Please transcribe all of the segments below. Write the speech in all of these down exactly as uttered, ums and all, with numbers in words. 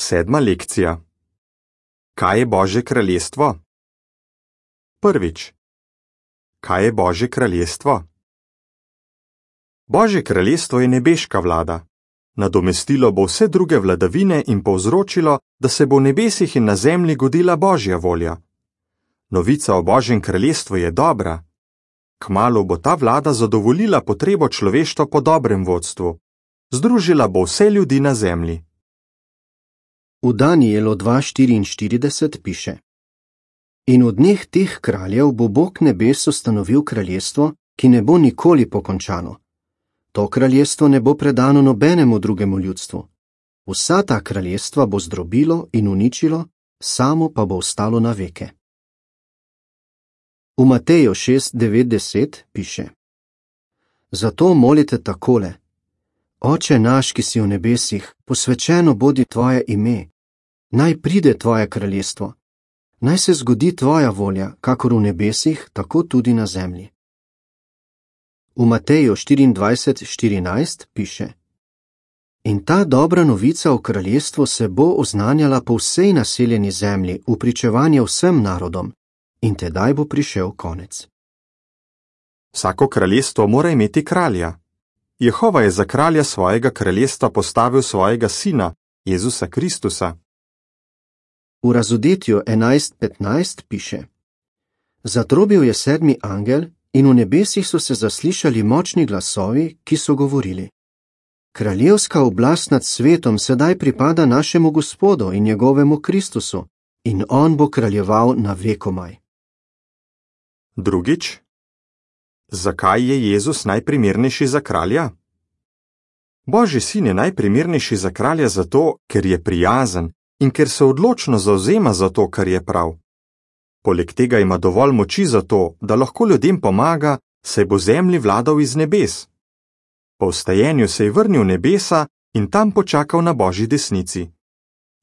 Sedma lekcija. Kaj je Božje kraljestvo? Prvič. Kaj je Božje kraljestvo? Božje kraljestvo je nebeška vlada. Nadomestilo bo vse druge vladavine in povzročilo, da se bo v nebesih in na zemlji godila Božja volja. Novica o Božjem kraljestvu je dobra. Kmalu bo ta vlada zadovoljila potrebo človeštva po dobrem vodstvu. Združila bo vse ljudi na zemlji. V Danijelu dva štiriinštirideset piše: In v dneh teh kraljev bo Bog nebes ustanovil kraljestvo, ki ne bo nikoli pokončano. To kraljestvo ne bo predano nobenemu drugemu ljudstvu. Vsa ta kraljestva bo zdrobilo in uničilo, samo pa bo ostalo na veke. V Mateju šest devet deset piše: Zato molite takole: Oče naš, ki si v nebesih, posvečeno bodi tvoje ime. Naj pride tvoje kraljestvo. Naj se zgodi tvoja volja, kakor v nebesih, tako tudi na zemlji. V Mateju štiriindvajset štirinajst piše: In ta dobra novica o kraljestvu se bo oznanjala po vsej naseljeni zemlji v pričevanje vsem narodom, in tedaj bo prišel konec. Vsako kraljestvo mora imeti kralja. Jehova je za kralja svojega kraljestva postavil svojega sina, Jezusa Kristusa. V Razodetju enajst petnajst piše: Zatrobil je sedmi angel in v nebesih so se zaslišali močni glasovi, ki so govorili: Kraljevska oblast nad svetom sedaj pripada našemu Gospodu in njegovemu Kristusu, in on bo kraljeval na vekomaj. Drugič. Zakaj je Jezus najprimernejši za kralja? Božji sin je najprimernejši za kralja zato, ker je prijazen in ker se odločno zavzema za to, kar je prav. Poleg tega ima dovolj moči za to, da lahko ljudem pomaga, saj bo zemlji vladal iz nebes. Po vstajenju se je vrnil v nebesa in tam počakal na Božji desnici.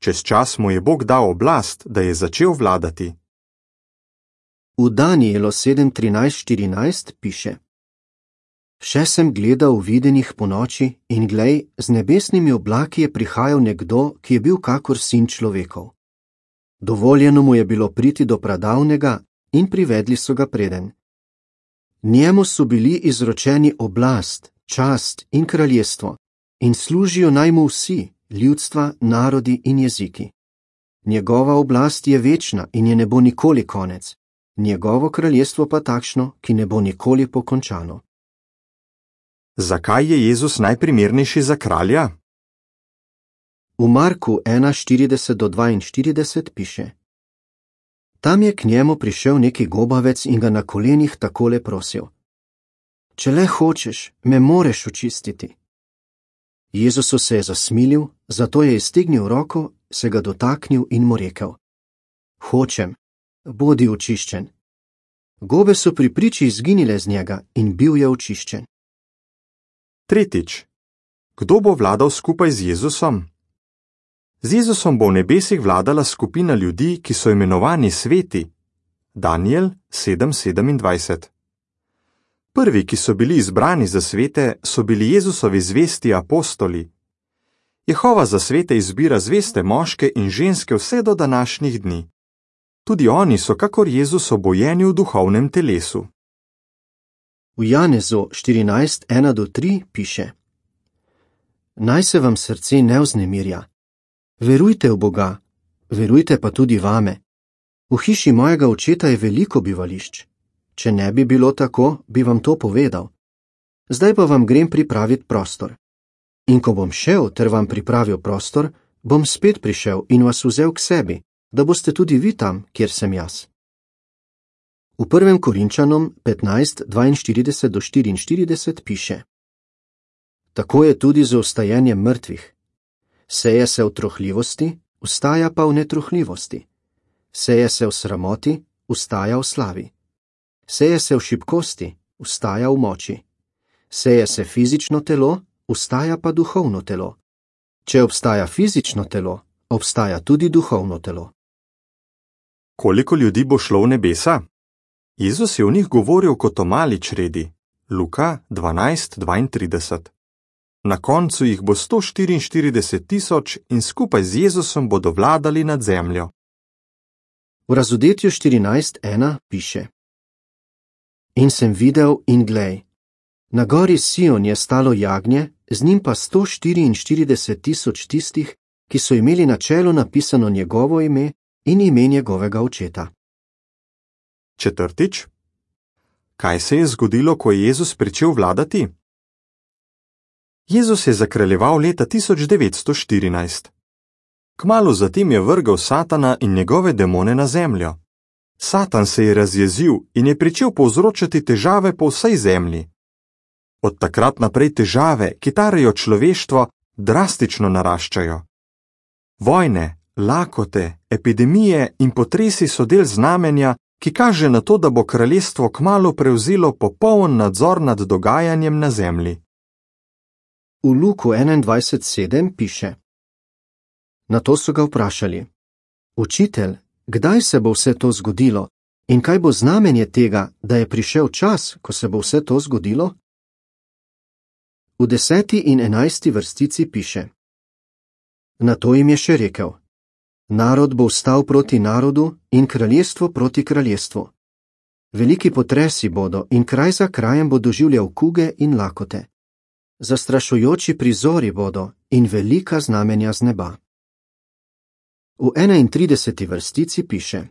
Čez čas mu je Bog dal oblast, da je začel vladati. V Danijelu sedem trinajst štirinajst piše: Še sem gledal v videnih ponoči in glej, z nebesnimi oblaki je prihajal nekdo, ki je bil kakor sin človekov. Dovoljeno mu je bilo priti do pradavnega in privedli so ga preden. Njemu so bili izročeni oblast, čast in kraljestvo in služijo naj mu vsi, ljudstva, narodi in jeziki. Njegova oblast je večna in je ne bo nikoli konec, njegovo kraljestvo pa takšno, ki ne bo nikoli pokončano. Zakaj je Jezus najprimernejši za kralja? V Marku ena štirideset do dvainštirideset piše: Tam je k njemu prišel neki gobavec in ga na kolenih takole prosil: Če le hočeš, me moreš očistiti. Jezusu se je zasmilil, zato je iztegnil roko, se ga dotaknil in mu rekel: Hočem, bodi očiščen. Gobe so pri priči izginile z njega in bil je očiščen. Tretjič. Kdo bo vladal skupaj z Jezusom? Z Jezusom bo v nebesih vladala skupina ljudi, ki so imenovani sveti. Danijel sedem sedemindvajset. Prvi, ki so bili izbrani za svete, so bili Jezusovi zvesti apostoli. Jehova za svete izbira zveste moške in ženske vse do današnjih dni. Tudi oni so kakor Jezus obojeni v duhovnem telesu. V Janezu štirinajst ena do tri piše: Naj se vam srce ne vznemirja. Verujte v Boga, verujte pa tudi vame. V hiši mojega očeta je veliko bivališč. Če ne bi bilo tako, bi vam to povedal. Zdaj pa vam grem pripraviti prostor. In ko bom šel ter vam pripravil prostor, bom spet prišel in vas vzel k sebi, da boste tudi vi tam, kjer sem jaz. V prvem Korinčanom petnajst dvainštirideset do štiriinštirideset piše: Tako je tudi z vstajenjem mrtvih. Seje se v trohljivosti, vstaja pa v netrohljivosti. Seje se v sramoti, vstaja v slavi. Seje se v šibkosti, vstaja v moči. Seje se fizično telo, vstaja pa duhovno telo. Če obstaja fizično telo, obstaja tudi duhovno telo. Koliko ljudi bo šlo v nebesa? Jezus je o njih govoril kot o mali čredi. Luka dvanajst dvaintrideset. na koncu jih bo sto štiriinštirideset tisoč in skupaj z Jezusom bodo vladali nad zemljo. V Razodetju štirinajst ena piše: In sem videl in glej, na gori Sion je stalo jagnje, z njim pa sto štiriinštirideset tisoč tistih, ki so imeli na čelu napisano njegovo ime in ime njegovega očeta. Četrtič. Kaj se je zgodilo, ko je Jezus pričel vladati? Jezus je zakraljeval leta tisoč devetsto štirinajst. Kmalu zatem je vrgel Satana in njegove demone na zemljo. Satan se je razjezil in je pričel povzročati težave po vsej zemlji. Od takrat naprej težave, ki tarejo človeštvo, drastično naraščajo. Vojne, lakote, epidemije in potresi so del znamenja, ki kaže na to, da bo kraljestvo kmalu prevzelo popoln nadzor nad dogajanjem na zemlji. V Luku enaindvajset sedem piše: Nato so ga vprašali: Učitelj, kdaj se bo vse to zgodilo in kaj bo znamenje tega, da je prišel čas, ko se bo vse to zgodilo? V deseti in enajsti vrstici piše: Nato jim je še rekel: Narod bo vstal proti narodu in kraljestvo proti kraljestvu. Veliki potresi bodo in kraj za krajem bo doživljal kuge in lakote. Zastrašujoči prizori bodo in velika znamenja z neba. V enaintrideseti vrstici piše: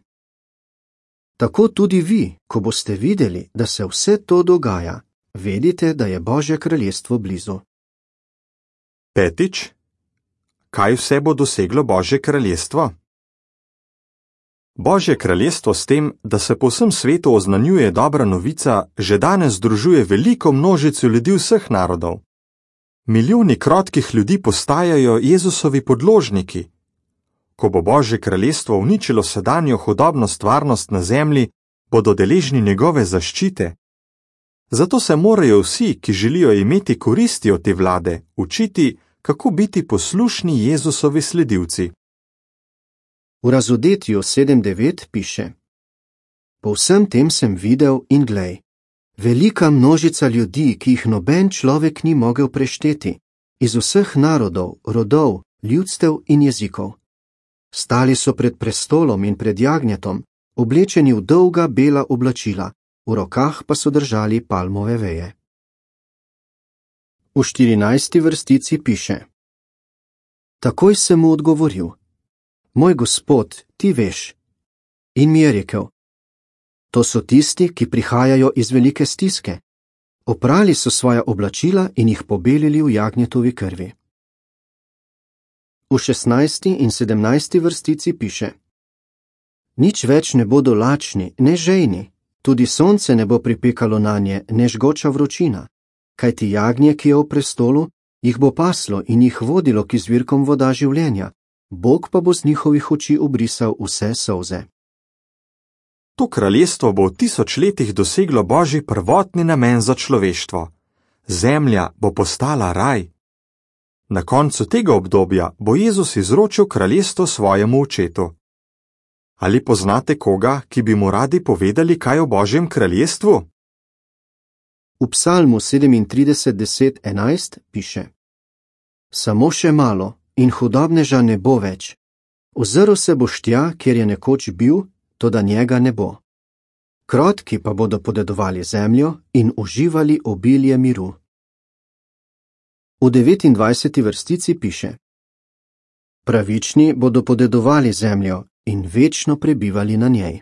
Tako tudi vi, ko boste videli, da se vse to dogaja, vedite, da je Božje kraljestvo blizu. Petič. Kaj vse bo doseglo Božje kraljestvo? Božje kraljestvo s tem, da se po vsem svetu oznanjuje dobra novica, že danes združuje veliko množico ljudi vseh narodov. Milijoni krotkih ljudi postajajo Jezusovi podložniki. Ko bo Božje kraljestvo uničilo sedanjo hudobno stvarnost na zemlji, bodo deležni njegove zaščite. Zato se morajo vsi, ki želijo imeti koristi od te vlade, učiti, kako biti poslušni Jezusovi sledilci. V Razodetju sedem devet piše: Po vsem tem sem videl in glej, velika množica ljudi, ki jih noben človek ni mogel prešteti, iz vseh narodov, rodov, ljudstev in jezikov. Stali so pred prestolom in pred jagnjetom, oblečeni v dolga bela oblačila, v rokah pa so držali palmove veje. V štirinajsti vrstici piše: Takoj sem mu odgovoril: Moj Gospod, ti veš. In mi je rekel: To so tisti, ki prihajajo iz velike stiske. Oprali so svoja oblačila in jih pobelili v jagnjetovi krvi. V šestnajsti in sedemnajsti vrstici piše: Nič več ne bodo lačni, ne žejni, tudi sonce ne bo pripekalo nanje, ne žgoča vročina, kajti jagnje, ki je v prestolu, jih bo paslo in jih vodilo k izvirkom voda življenja, Bog pa bo z njihovih oči obrisal vse solze. To kraljestvo bo v tisoč letih doseglo Božji prvotni namen za človeštvo. Zemlja bo postala raj. Na koncu tega obdobja bo Jezus izročil kraljestvo svojemu očetu. Ali poznate koga, ki bi mu radi povedali kaj o Božjem kraljestvu? V Psalmu sedemintrideset deset enajst piše: Samo še malo in hudobneža ne bo več. Ozrl se boš tja, kjer je nekoč bil, toda njega ne bo. Krotki pa bodo podedovali zemljo in uživali obilje miru. V devetindvajseti vrstici piše: Pravični bodo podedovali zemljo in večno prebivali na njej.